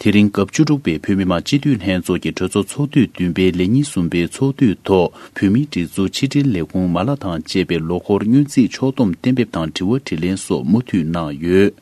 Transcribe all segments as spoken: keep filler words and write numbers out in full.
དེ་རིང་སྐབས་བཅུ་དྲུག་པའི་བོད་མི་མང་སྤྱི་འཐུས་ལྷན་ཚོགས་ཀྱི་གྲོས་ཚོགས་ཚོགས་དུས་བདུན་པའི་ལས་ཉིན་གསུམ་པའི་ཚོགས་དུས་ཐོག་བོད་མིའི་སྒྲིག་འཛུགས་ཕྱི་དྲིལ་ལས་ཁུངས་མ་ལག་དང་བཅས་པའི་ལོ་འཁོར་སྔོན་རྩིས་ཕྱོགས་བསྡོམས་གཏན་འབེབས་དང་དྲི་བ་དྲིས་ལན་སོགས་མུ་མཐུད་གནང་ཡོད།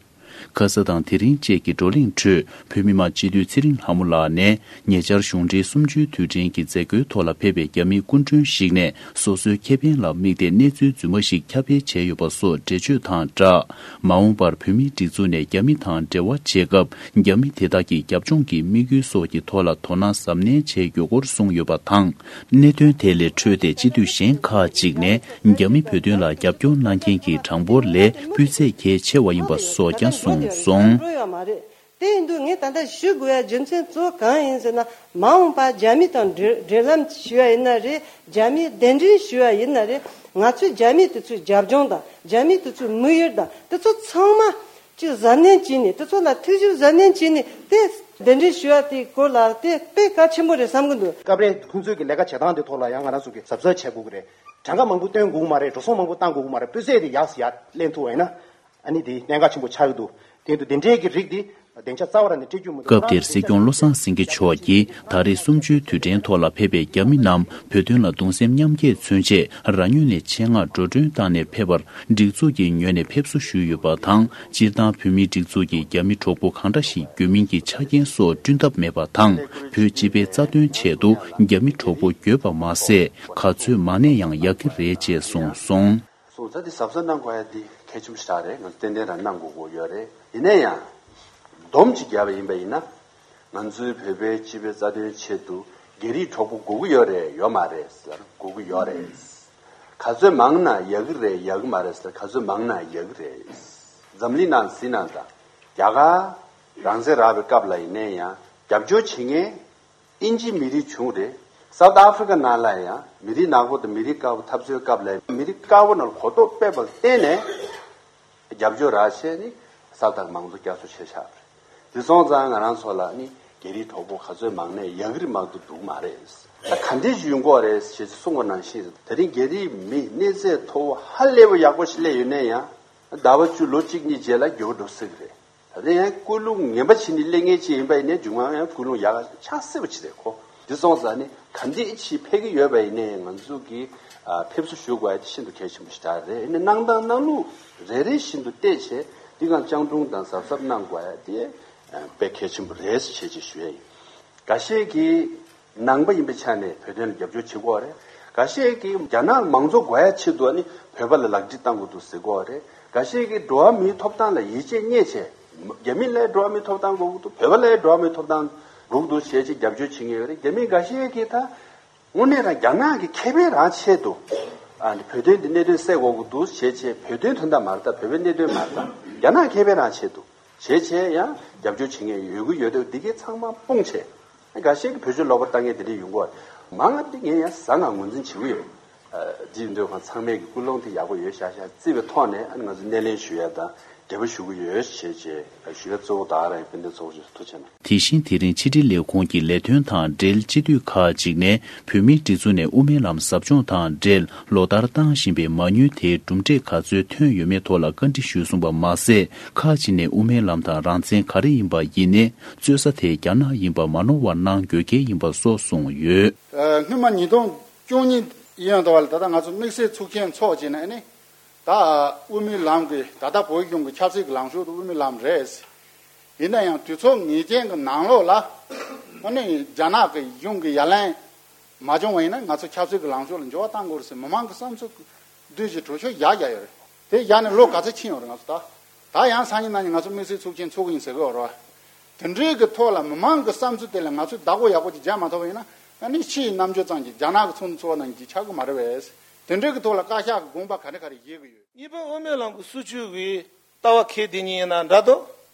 ཁ་ས་དང་དེ་རིང་བཅས་ཀྱི་བགྲོ་གླེང་ཁྲོད་བོད་མི་མང་སྤྱི་འཐུས་ཚེ་རིང་ལྷ་མོ་ལགས་ནས་ཉེ་ཆར་གཞུང་འབྲེལ་གསུམ་བཅུའི་དུས་དྲན་གྱི་མཛད་སྒོའི་ཐོག་ལ་ཕེབས་པའི་རྒྱ་མིའི་སྐུ་མགྲོན་ཞིག་ནས་སོ་སོའི་ཁེ་ཕན་ལ་དམིགས་ཏེ་གནས་ཚུལ་རྫུན་མ་ཞིག་ཁྱབ་སྤེལ་བྱས་ཡོད་པ་སོགས་འགྲེལ་བརྗོད་དང་སྦྲགས། མ་འོངས་པར་བོད་མིའི་སྒྲིག་འཛུགས་ནས་རྒྱ་མི་དང་འབྲེལ་བ་བྱེད་སྐབས་རྒྱ་མི་དེ་དག་གི་རྒྱབ་ལྗོངས་ཀྱི་དམིགས་ཡུལ་སོགས་ཀྱི་ཐོག་ལ་དོ་སྣང་གཟབ་ནན་བྱས་ཡོད་སྐོར་གསུངས་ཡོད་པ་དང་། གནད་དོན་དེ་ལས་འཕྲོས་ཏེ་སྤྱི་འཐུས་གཞན་ཁག་ཅིག་ནས་རྒྱ་མི་བོད་དོན་ལ་རྒྱབ་སྐྱོར་གནང་མཁན་གྱི་གྲངས་འབོར་ལས་སྤུས་ཚད་གལ་ཆེ་བ་ཡིན་པ་སོགས་ཀྱང་གསུངས་སོང་། འགྲོ་ཡོད་མ་རེད། དེ་ཡིན་དུས་ངས་ད་ལྟ་ཞུ་དགོས་ཡ་རྒྱུ་མཚན་གཙོ་བོ་གང་ཡིན་ཟེར་ན། མ་འོངས་པ་རྒྱ་མི་དང་འབྲེལ་འབྲེལ་ལམ་ཞུ་ཡ་ཡིན་ན་རེད། རྒྱ་མིའི་གདན་འདྲེན་ཞུ་ཡ་ཡིན་ན་རེད། ང་ཚོས་རྒྱ་མི་དེ་ཚོའི་རྒྱབ་ལྗོངས་དང་རྒྱ་མི་དེ་ཚོའི་དམིགས་ཡུལ་དང་དེ་ཚོ་ཚང་མ་ཅིག་གཟབ་ནན་བྱས་ནས། དེ་ཚོ་ལ་ཐུགས་ཞིབ་གཟབ་ནན་བྱས་ནས་དེ་གདན་འདྲེན་ཞུ་ཡ་དེའི་སྐོར་ལ་དེ་དཔེ་གལ་ཆེན་པོ་རེད་བསམ་གི་འདུག་སྐབས་རེ་ཁོང་ཚོའི་གི་ལས་ཀ་བྱེད་སྟངས་དེ་ཐོག་ལ་ཡང་ང་རང་ཚོ་གི་གཟབ་གཟབ་བྱེད་དགོས་ཀྱི་རེད། གྲངས་ཀ་མང་པོ་བཏོན་དགོས་ཀྱི་མ་རེད། འགྲོ་སོང་མང་པོ་བཏང་དགོས་ཀྱི་མ་རེད། སྤུས་ཚད་དེ་ཡར་ཡར་ལེན་ཐུབ་པ་ཡིན་ན། ཨ་ནི་དེ་གནད་འགག་ཆེན་པོ་ཆགས་ཀྱི་འདུག་དེ་དུས་དེ་འདྲའི་གི་རིགས་དེ་བདེ་འཇགས་རྩ་བ་རང་ནས་སྤྲད་རྒྱུ་མི་འདུག་སྐབས་དེར་སྲིད་སྐྱོང་བློ་བཟང་སེང་གེ་མཆོག་གིས་ད་རེས་གསུམ་བཅུའི་དུས་དྲན་ཐོག་ལ་ཕེབས་པའི་རྒྱ་མི་རྣམས་བོད་དོན་ལ་གདུང་སེམས་མཉམ་སྐྱེད་མཚོན་ཆེད་རང་ངོས་ནས་ཆེད་མངགས་འགྲོ་གྲོན་བཏང་ནས་ཕེབས་པར་སྒྲིག་འཛུགས་ཀྱི་ངོས་ནས་ཕེབས་བསུ་ཞུས་ཡོད་པ་དང་། སྤྱིར་བཏང་བོད་མིའི་སྒྲིག་འཛུགས་ཀྱིས་རྒྱ་མི་གྲོགས་པོ་གང་འདྲ་ཞིག་དགོས་མིན་གྱི་ཆ་རྐྱེན་སོགས་བསྐྲུན་ཐབས་མེད་པ་དང་། བོད་སྤྱི་པའི་རྩ་དོན་ཆེད་དུ་རྒྱ་མི་གྲོགས་པོ་དགོས་པ་མ་ཟད། ག་ཚོད་མང་ནས་ཡང་ཡག་གི་རེད་ཅེས་གསུངས་སོང་། སོང་ཙང་དེ་གཟབ་གཟབ་གནང་དགོས་ཡ་དེ་གལ་ཆེན་པོ་ཞིག་རེད། ང་ཚོ་ཏན་ཏན་རང་གནང་དགོས་ཀྱི་ཡོད་རེད། ཡིན་ན་ཡང་སྡོམ་ཅིག་བརྒྱབ་པ་ཡིན་པ་ཡིན་ན། ང་ཚོའི་བོད་པའི་སྤྱི་པའི་རྩ་དོན་ཆེད་དུ་རྒྱ་རིགས་གྲོགས་པོ་དགོས་ཀྱི་ཡོད་རེད་ཡོད་མ་རེད་ཟེར། དགོས་ཀྱི་ཡོད་རེད། ག་ཚོད་མང་ན་ཡག་གི་རེད་ཡག་གི་མ་རེད་ཟེར། ག་ཚོད་མང་ན་ཡག་གི་རེད། འཛམ་གླིང་ནང་གཟིགས་ན་ད་རྒྱ་གར་རང་བཙན་རག་པའི་སྐབས་ལ་ཡིན་ནའི་ཡང་རྒྱབ་སྐྱོར་བྱེད་མཁན། དབྱིན་ཇིའི་མི་རིགས་བྱུང་རེད། སའུ་ཐི་ཨ་ཧྥི་རི་ཀ་ནང་ལ་ཡང་མི་རིགས་ནག་པོ་དང་མི་རིགས་དཀར་པོ་འཐབ་རྩོད་སྐབས་ལ་མི་རིགས་དཀར་པོ་ནང་ལ་གོ་རྟོགས་སྤེལ་བར་བརྟེན་ནས་རྒྱབ་སྐྱོར་རག་བྱས་ནས་སའུ་ཐི་ཨ་ཧྥི་རི་ཀ་མང་གཙོ་བསྐྱར་གསོ་བྱས་བཞག་པ་རེད། དེ་སོང་ཙང་ང་རང་ཚོ་ལ་ནི་རྒྱ་རིགས་གྲོགས་པོ་ག་ཚོད་མང་ནས་ཡག་གི་རེད་མང་དུ་འདུག་མ་རེད། ད་ག་འདྲས་ཞིག་ཡོང་གི་རེད་ཞེས་གསུངས་པ་ནང་བཞིན། དེ་རིང་རྒྱ་རིགས་མི་གནས་ཚད་མཐོ་བོ་ཧ་ལས་པ་ཡག་པོ་ཞིག་སླེབས་ཡོད་ན་ཡང་ཟླ་བ་བཅུ་ལོ་གཅིག་གཉིས་རྗེས་ལ་འགྱུར་བ་འགྲོ་སྲིད་ཀྱི་རེད། ད་ལྟ་ཡང་ཀུན་སློང་ངན་པ་བྱས་ནས་སླེབས་མཁན་ཅིག་ཡིན་པ་ཡིན་ནའི་མཇུག་མ་ཡང་ཀུན་སློང་ཡག་ག་ཆགས་སྲིད་པ་ཅིག་རེད་ཁོ། འདི་སོང་ཙང་ནི་ག་འདྲས་ཅིག་ཕེབས་ཀྱི་ཡོད་པ་ཡིན་ནའི་ང་ཚོ་གིས་ཨ་ཕེབས་བསུ་ཞུ་དགོས་ཡ་དེ་ཤིན་ཏུ་གལ་ཆེན་པོ་ཞིག་རེད། ཡིན་ནའི་གནང་སྟངས་གནང་ལུགས་རེ་རེ་བཞིན་དུ་བལྟས་བྱས་འདི་གང་སྤྱང་གྲུང་དང་གཟབ་གཟབ་གནང་དགོས་ཡ་དེ་ཨ་དཔེ་གལ་ཆེན་པོ་རེད་ཞེས་ཅིག་ཞུ་ཡ་ཡིན། འགའ་ཤས་ཀྱིས། ནང་པ་ཡིན་པའི་ཆ་ནས་བོད་དོན་ལ་རྒྱབ་སྐྱོར་བྱེད་དགོས་རེད། འགའ་ཤས་ཀྱིས་རྒྱ་ནག་མང་གཙོ་དགོས་ཡ་ཆེད་དུ་ནི་བོད་པ་ལ་ལག་འཁྲིད་བཏང་དགོས་འདུག་ཟེར་གོ་རེད། འགའ་ཤས་ཀྱིས་འགྲོ་བ་མིའི་ཐོབ་ཐང་ལ་ཡིད་ཆེས་རྙེད་བྱས། རྒྱ་མི་ལ་འགྲོ་བ་མིའི་ཐོབ་ཐང་དགོས་ཀྱི་འདུག་བོད་པ་ལ་འགྲོ་བ་མིའི་ཐོབ་ཐང་དགོས་ཀྱི་འདུག་བྱས་བྱས་རྒྱབ་སྐྱོར་བྱེད་མཁན་ཡོད་རེད། རྒྱ་མི་འགའ་ཤས་ཀྱིས་ད་དངོས་གནས་རང་རྒྱ་ནག་གི་ཁེ་ཕན་རང་ཆེད་དུ་ཨ་ནི་བོད་དོན་འདི་གནད་དོན་སེལ་དགོས་ཀྱི་འདུག་བྱས་བྱས་བོད་དོན་དོན་དག་མ་རེད། ད་བོད་པའི་གནད་དོན་མ་རེད། ད་རྒྱ་ནག་ཁེ་ཕན་རང་ཆེད་དུ། བྱས་བྱས་ཡང་རྒྱབ་སྐྱོར་བྱེད་མཁན་ཡོད་ཀྱི་ཡོད་དུས་འདི་གའི་ཚང་མ་སྤུངས་བྱས། འགའ་ཤས་ཀྱིས་བེད་སྤྱོད་ལོག་པར་བཏང་མཁན་དེ་འདྲ་ཡོང་གི་ཡོད་རེད། མང་ང་འདི་ངས་ཡང་ཟ་ང་ངོས་འཛིན་བྱེད་ཀྱི་ཡོད། འདི་ཡིན་དུས་ཁོང་ཚང་མས་ཀྱི་ཀུན་སློང་དེ་ཡག་པོ་ཡོད་ཤག་ཤག་བརྩི་བའི་ཐོག་ནས་ཨ་ནི་ང་ཚོ་སྣེ་ལེན་ཞུ་ཡ་དང་འབྲེལ་བ་ཞུ་གི་ཡོད་ཞེས་བྱས་ཞུ་ཡ་གཙོ་བོ་ད་ག་རང་ཡིན། ཕན་བདེ་ཚོགས་ཆུང་ཐུགས་རྗེ་གནང་། དེ་བཞིན་དེ་རིང་ཕྱི་དྲིལ་ལས་ཁུངས་ཀྱི་ལས་དོན་དང་འབྲེལ་སྤྱི་འཐུས་ཁག་ཅིག་ནས་བོད་མིའི་སྒྲིག་འཛུགས་ནས་དབུ་མའི་ལམ་ཟབ་སྦྱོང་དང་འབྲེལ་ལོ་ལྟར་བཏང་བཞིན་པའི་མ་དངུལ་དེའི་གྲུབ་འབྲས་ག་ཚོད་ཐོན་ཡོད་མེད་ཐོག་ལ་བཀའ་འདྲི་ཞུས་སོང་བ་མ་ཟད། ཁག་ཅིག་ནས་དབུ་མའི་ལམ་དང་རང་བཙན་ག་རེ་ཡིན་པ་ཡིན་ནའི་རྩོད་ས་དེ་རྒྱ་ནག་ཡིན་པ་མ་ནོར་བ་གནང་དགོས་གལ་ཡིན་པ་སོགས་གསུངས་ཡོད། སྔོན་མ་ཉིས་སྟོང་བཅུ་གཉིས་ཡིན་ཡང་ད་བར་ད་ལྟ་ང་ཚོ་དམིགས་བསལ་ཚོགས་ཆེན་ཚོགས་བྱས་ནས་ནི། ད་དབུ་མའི་ལམ་གྱི་ད་ལྟ་བོད་གཞུང་གི་ཆབ་སྲིད་ཀྱི་ལངས་ཕྱོགས་དེ་དབུ་མའི་ལམ་རེད། ཡིན་ན་ཡང་དུས་ཚོད་ངེས་ཅན་གྱི་ནང་ལོགས་ལ་ཨ་ནི་རྒྱ་ནག་གི་གཞུང་གི་ཡ་ལན་མ་བྱུང་བ་ཡིན་ན་ང་ཚོ་ཆབ་སྲིད་ཀྱི་ལངས་ཕྱོགས་ལ་འགྱུར་བ་གཏང་དགོས་རེད་ཟེར་མི་མང་གི་བསམ་ཚུལ་བསྡུས་ཀྱི་གྲོས་ཆོད་བཞག་བཞག་ཡོད་རེད། དེ་བཞག་ནས་ལོ་ག་ཚོད་ཕྱིན་ཡོད་རེད་ང་ཚོ་ད། ད་ཡང་སང་ཉིན་གནངས་ཉིན་ང་ཚོ་དམིགས་བསལ་ཚོགས་ཆེན་ཚོགས་ཀྱི་ཡིན་ཟེར་གི་ཡོད་རེད་བ། དེ་འདྲའི་གི་ཐོག་ལ་མི་མང་གི་བསམ་ཚུལ་དེ་ལ་ང་ཚོས་བདག་པོ་ཡག་པོ་ཅིག་རྒྱག་མ་ཐུབ་པ་ཡིན་ན་ཨ་ནི་ཕྱི་ཡི་རྣམ་དཔྱོད་ཙམ་གྱིས་རྒྱ་ནག་གི་ཚོགས་འདུ་ཚོགས་ནང་གི་ཆགས་ཀྱི་མ་རེད་པས། དེ་འདྲའི་གི་ཐོག་ལ་བཀའ་ཤག་གི་དགོངས་པ་ག་རེ་ག་རེ་བཞེས་ཀྱི་ཡོད། གཉིས་པ་དབུ་མའི་ལམ་གྱི་སྲིད་བྱུས་ཀྱི་ལྟ་བ་འཁྱེར་བསྡད་མཁན་ཡིན་ན་འདྲ་འདུག་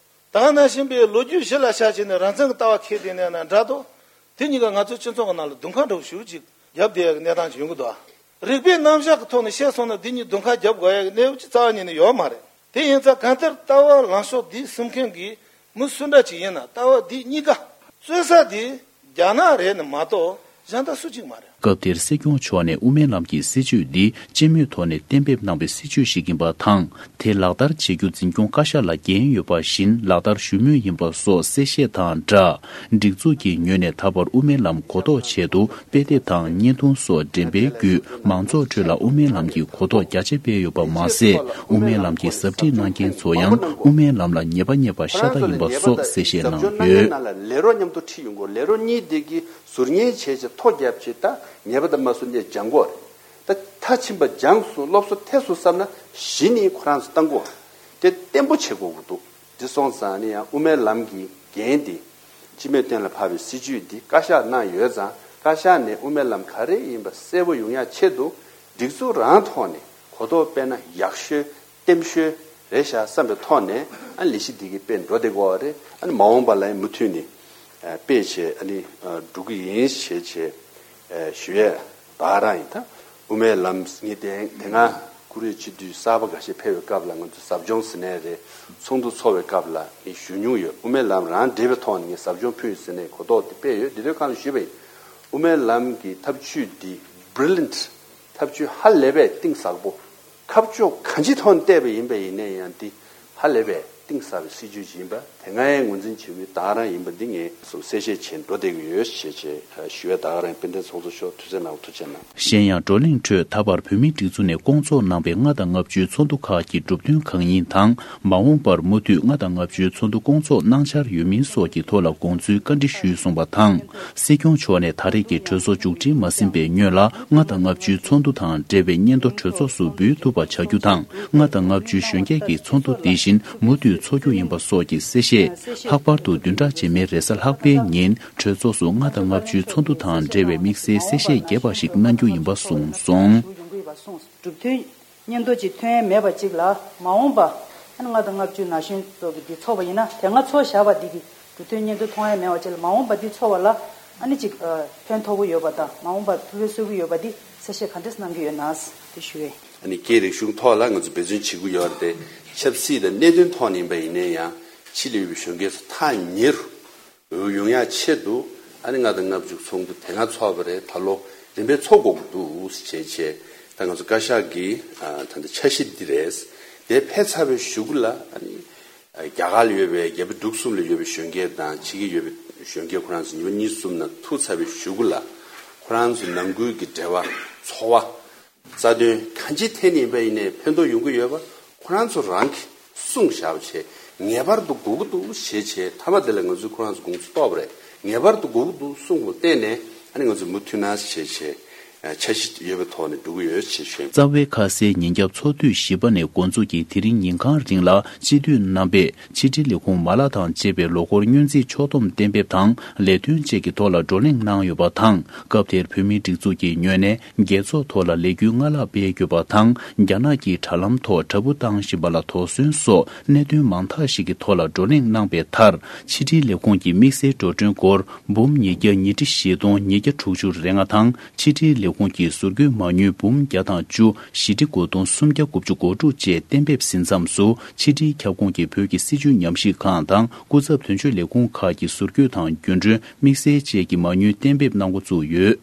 ད་ག་ནང་བཞིན་པའི་ལོ་རྒྱུས་གཞི་ལ་བཞག་བྱས་ནས་རང་བཙན་གྱི་ལྟ་བ་འཁྱེར་བསྡད་མཁན་ཡིན་ན་འདྲ་འདུག་དེ་གཉིས་ཀ་ང་ཚོའི་སྤྱི་ཚོགས་ཀྱི་ནང་ལ་དུང་ཁ་འདྲ་བོ་ཞེ་པོ་ཅིག་བརྒྱབ་བསྡད་ཡག་གི་གནས་སྟངས་ཅིག་ཡོང་གི་འདུག་རིག་པའི་རྣམ་གཞག་གི་ཐོག་ནས་བཤད་སོང་ན་འདི་གཉིས་དུང་ཁ་བརྒྱབ་དགོས་ཡག་གི་གནས་བབ་ཅིག་རྩ་བ་ཉིད་ནས་ཡོད་མ་རེད། དེ་ཡིན་ཙང་གང་ལྟར་ལྟ་བ་ལངས་ཕྱོགས་འདི་སེམས་མཁན་གྱི་མི་སུ་འདྲ་ཅིག་ཡིན་ན་ལྟ་བ་འདི་གཉིས་ཀ་རྩོད་ས་འདི་རྒྱ་ནག་རེད་ནི་མ་གཏོགས་གཞན་དག་སུ་གཅིག་མ་རེད། སྐབས་དེར་སྲིད་སྐྱོང་མཆོག་ནས་དབུ་མའི་ལམ་གྱི་སྲིད་བྱུས་འདི་སྤྱི་མོས་ཐོག་ནས་གཏན་འབེབས་གནང་བའི་སྲིད་བྱུས་ཤིག་ཡིན་པ་དང་། དེ་ལག་བསྟར་བྱེད་རྒྱུ་འཛིན་སྐྱོང་བཀའ་ཤག་ལ་འགན་ཡོད་པ་བཞིན་ལག་བསྟར་ཞུ་མུས་ཡིན་པ་སོགས་གསལ་བཤད་དང་སྦྲགས། སྒྲིག་འཛུགས་ཀྱི་ངོས་ནས་ད་བར་དབུ་མའི་ལམ་གོ་རྟོགས་ཆེད་དུ་དཔེ་དེབ་དང་བརྙན་ཐུང་སོགས་འགྲེམས་སྤེལ་བརྒྱུད་མང་ཚོགས་ཁྲོད་ལ་དབུ་མའི་ལམ་གྱི་གོ་རྟོགས་རྒྱ་ཆེ་སྤེལ་ཡོད་པ་མ་ཟད། དབུ་མའི་ལམ་གྱི་ཟབ་ཁྲིད་གནང་མཁན་ཚོ་ཡང་དབུ་མའི་ལམ་ལ་ཉེས་པ་རྙེད་པ་ཤ་སྟག་ཡིན་པ་སོགས་གསལ་བཤད་གནང་ཡོད། ལས་རོགས་མཉམ་དུ་ཁྲིད་ཡོང་དགོས། ལས་རོགས་གཉིས་དེ་གི་ཟུར་ཉན་བྱས་བྱས་ཐོ་བརྒྱབ་བྱས་ད་ཉེས་པ་དང་མ་སུ་ནས་སྦྱང་དགོས་རེད། ད་མཐར་ཕྱིན་པ་སྦྱངས་སོང་སློབ་གསོ་ཐེབས་སོང་བསམ་ན་གཞི་ནས་ཁོ་རང་ཚོ་བཏང་དགོས། དེ་བརྟན་པོ་བྱེད་དགོས་ཀྱི་འདུག་དེ་སོང་ཙང་ནི་ཡང་དབུ་མའི་ལམ་གྱི་འགན་དེ་སྤྱི་མོས་གཏན་ལ་ཕབ་པའི་སྲིད་བྱུས་འདི་བཀའ་ཤག་གནང་ཡོད་ཙང་བཀའ་ཤག་ནས་དབུ་མའི་ལམ་ག་རེ་ཡིན་པ་གསལ་པོ་ཡོང་ཡ་ཆེད་དུ་སྒྲིག་འཛུགས་རང་ཐོག་ནས་གོ་རྟོགས་སྤེལ་ན་ཡག་ཤོས་བརྟན་ཤོས་རེད་ཤག་བསམ་པའི་ཐོག་ནས་ཨ་ནི་ལས་གཞི་འདི་གི་དཔེ་འགྲོ་བསྡད་ཀྱི་ཡོད་རེད། ཨ་ནི་མ་འོངས་པ་ལ་ཡང་མུ་མཐུད་ནས་ཨ་སྤེལ་བྱས་ཨ་ནི་ཨ་འགྲོ་གི་ཡིན་ཞེས་བྱས་ཨ་ཞུ་ཡས་ད་ག་རང་ཡིན། ད་དབུ་མའི་ལམ་ངས་དེ་དེ་སྔ་ཀུ་རེ་སྤྱི་འཐུས་གསར་པ་འགའ་ཤས་ཕེབས་པའི་སྐབས་ལ་ང་ཚོ་ཟབ་སྦྱོང་ཟེར་ནའི་རེད། ཚོགས་འདུ་ཚོགས་པའི་སྐབས་ལ་ངས་ཞུ་མྱོང་ཡོད། དབུ་མའི་ལམ་རང་འབྲེལ་བའི་ཐོག་ནས་ངས་ཟབ་སྦྱོང་ཕུལ་ཟེར་ནས་གོ་རྟོགས་དེ་སྤེལ་ཡོད། འདི་དུས་གང་ལ་ཞུས་པ་ཡིན། དབུ་མའི་ལམ་གྱི་ཐབས་བྱུས་འདི་brilliant ཐབས་བྱུས་ཧ་ལས་པའི་གཏིང་ཟབ་པོ། ཁ་ཕྱོགས་གང་ཅིའི་ཐོག་ནས་བལྟས་པ་ཡིན་པ་ཡིན་ན་ཡང་འདི་ཧ་ལས་པའི་གཏིང་ཟབ་པའི་སྲིད་བྱུས་ཤིག་ཡིན་པ་དེ་སྔའི་ངོས་འཛིན་བྱེད་མུས་ད་ག་རང་ཡིན་པ་འདི་ངས་གསལ་བཤད་བྱས་འགྲོ་བསྡད་ཀྱི་ཡོད་ཞེས་བྱས་ཞུ་བའི་ད་ག་རང་དཔལ་ལྡན་ཚོགས་གཙོ་མཆོག་ཐུགས་བརྩེ་གནང་བ་ཐུགས་རྗེ་གནང་། གཞན་ཡང་བགྲོ་གླེང་ཁྲོད་ད་བར་བོད་མིའི་སྒྲིག་འཛུགས་ནས་སྐོང་ཚོགས་གནང་པའི་ལྔ་དང་ལྔ་བཅུའི་ཚོགས་འདུ་ཁག་གི་གྲུབ་དོན་གང་ཡིན་དང་མ་འོངས་པར་མུ་མཐུད་ལྔ་དང་ལྔ་བཅུའི་ཚོགས་འདུ་སྐོང་ཚོགས་གནང་འཆར་ཡོད་མིན་སོགས་ཀྱི་ཐོག་ལ་དགོངས་ཚུལ་བཀའ་འདྲི་ཞུས་གསུངས་པ་དང་། སྲིད་སྐྱོང་མཆོག་ནས་ད་རེས་ཀྱི་གྲོས་ཚོགས་མཇུག་སྒྲིལ་མ་ཟིན་པའི་སྔོན་ལ་ལྔ་དང་ལྔ་བཅུའི་ཚོགས་འདུ་དང་འབྲེལ་བའི་སྙན་ཐོ་གྲོས་ཚོགས་སུ་འབུལ་ཐུབ་པ་བྱ་རྒྱུ་དང་ལྔ་དང་ལྔ་བཅུའི་གཞོན་སྐྱེས་ཀྱི་ཚོགས་འདུ་དེ་བཞིན་མུ་མཐུད་འཚོགས་རྒྱུ་ཡིན་པ་སོགས་ཀྱི་གསལ་བཤད། ལྷག་པར་དུ་བདུན་ཕྲག་རྗེས་མའི་རེས་གཟའ་ལྷག་པའི་ཉིན་གྲོས་ཚོགས་སུ་ལྔ་དང་ལྔ་བཅུའི་ཚོགས་འདུ་དང་འབྲེལ་བའི་དམིགས་བསལ་གསལ་བཤད་རྒྱས་པ་ཞིག་གནང་རྒྱུ་ཡིན་པ་གསུངས་སོང་། གྲུབ་དོན་སྙན་ཐོ་ཅིག་ཐོན་ཡས་མེད་པ་ཅིག་ལ་མ་འོངས་པ་ཨ་ནི་ལྔ་དང་ལྔ་བཅུ་ན་གཞོན་ཚོགས་ཀྱི་འདི་ཚོགས་པ་ཡིན་ན་དེ་སྔ་ཚོགས་བཞག་པ་འདི་གི་གྲུབ་དོན་སྙན་ཐོ་མཐོང་ཡས་མེད་པ་ཅིག་ལ་མ་འོངས་པ་འདི་ཚོགས་པ་ལ་ཨ་ནི་ཅིག་ཕན་ཐོགས་ཀྱི་ཡོད་པ་དང་མ་འོངས་པ་ཕུལ་བའི་སྲོལ་གྱི་ཡོད་པ་འདི་གསལ་བཤད་ག་འདྲས་གནང་གི་ཡོད་ན་དེ་ཞུ་བས། ཨ་ནི་སྐད་རིག་གཞུང་ཐོག་ལ་ང་ཚོ་འབད་བརྩོན་བྱེད་ཀྱི་ཡོད་རེད་དེ་ཆབ་སྲིད་དང་གནད་དོན་ཐོག་ནས་ཡིན་པ་ཡིན་ན་ཡང་ཕྱི་ལ་ཡོད་པའི་གཞོན་སྐྱེས་ཚོ་ཐག་ཉེ་རུ། འོས་ཡོང་ཡ་ཆེད་དུ་ཨ་ནི་ལྔ་དང་ལྔ་བཅུ་ཚོགས་འདུ་དེ་སྔ་ཚོགས་པ་རེད། ད་ལོ་རིམ་པས་ཚོགས་དགོས་ཀྱི་འདུག་ཟེར་བྱས་བྱས་ད་ང་ཚོ་བཀའ་ཤག་གི་ཨ་ད་ལྟ་འཆར་གཞི་འདི་རེད། དེ་ཕེབས་ཚར་བའི་གཞུག་གུ་ལ་ཨ་ནི་རྒྱ་གར་ལ་ཡོད་པའི་རྒྱ་བལ་འབྲུག་གསུམ་ལ་ཡོད་པའི་གཞོན་སྐྱེས་དང་ཕྱི་རྒྱལ་ཡོད་པའི་གཞོན་སྐྱེས་ཁོ་རང་ཚོ་ཉི་མ་གཉིས་གསུམ་ནང་ཐུག་ཚར་བའི་གཞུག་གུ་ལ་ཁོ་རང་ཚོ་ནང་ཁུལ་གྱི་འབྲེལ་བ་ཚོར་བ། རྩ་དོན་གང་ཅིའི་ཐད་ནས་ཡིན་པ་ཡིན་ནའི་ཕན་ཐོགས་ཡོང་གི་ཡོད་པ་ཁོ་རང་ཚོ་རང་གིས་གསུངས་བཞག་པ་བྱས་ངེས་པར་དུ་དགོས་ཀྱི་འདུག་ཞེས་བྱས་མཐའ་མ་དེ་ལ་ང་ཚོས་ཁོ་རང་ཚོ་དགོངས་ཚུལ་རྟོགས་པ་རེད། ངེས་པར་དུ་དགོས་ཀྱི་འདུག་གསུངས་པ་བརྟེན་ནས་ཨ་ནི་ང་ཚོས་མུ་མཐུད་ན་ཞེས་བྱས་འཆར་གཞི་ཡོད་པའི་ཐོག་ནས་འགྲོ་གི་ཡོད་ཅེས་ཞུས། རྩ་བའི་ཁ་གསལ་ཉིན་རྒྱབ་ཚོགས་དུས་བཞི་པ་ནས་འགོ་འཛུགས་ཀྱིས་དེ་རིང་ཉིན་གང་རིང་ལ་སྤྱི་འཐུས་རྣམ་པས་ཕྱི་དྲིལ་ལས་ཁུངས་མ་ལག་དང་བཅས་པའི་ལོ་འཁོར་སྔོན་རྩིས་ཕྱོགས་བསྡོམས་གཏན་འབེབས་དང་ལས་དོན་བཅས་ཀྱི་ཐོག་ལ་བགྲོ་གླེང་གནང་ཡོད་པ་དང་སྐབས་དེར་བོད་མིའི་སྒྲིག་འཛུགས་ཀྱི་ངོས་ནས་རྒྱལ་ཚོགས་ཐོག་ལ་ལས་འགུལ་སྔ་ལྷག་སྤེལ་དགོས་པ་དང་རྒྱ་ནག་གི་དྲ་ལམ་ཐོག་དྲ་འབུ་བཏང་བཞིན་པ་ལ་དོགས་ཟོན་སོགས་གནད་དོན་མང་དག་ཞིག་གི་ཐོག་ལ་བགྲོ་གླེང་གནང་པའི་མཐར་ཕྱི་དྲིལ་ལས་ཁུངས་ཀྱི་དམིགས་བསལ་འགྲོ་གྲོན་སྒོར་འབུམ་ཉིས་བརྒྱ་ཉིས་ཁྲི་བཞི་སྟོང་ཉིས་བརྒྱ་དྲུག་ཅུ་རེ་ལྔ་དང་ཕྱི་དྲིལ་ལས་ཁུངས་ཀྱི་ཟུར་བཀོལ་མ་དངུལ་འབུམ་བརྒྱ་དང་བཅུ་བཞི་ཁྲི་དགུ་སྟོང་སུམ་བརྒྱ་དགུ་བཅུ་གོ་དྲུག་བཅས་གཏན་འབེབས་ཟིན་མཚམས་སུ་ཕྱི་དྲིལ་ཁྱབ་ཁོངས་ཀྱི་བོད་ཀྱི་སྲིད་བྱུས་ཉམས་ཞིབ་ཁང་དང་སྐུ་ཚབ་དོན་གཅོད་ལས་ཁུངས་ཁག་གི་ཟུར་བཀོལ་དང་རྒྱུན་གྲོན་དམིགས་བསལ་བཅས་ཀྱི་མ་དངུལ་གཏན་འབེབས་གནང་འགོ་བཙུགས་ཡོད།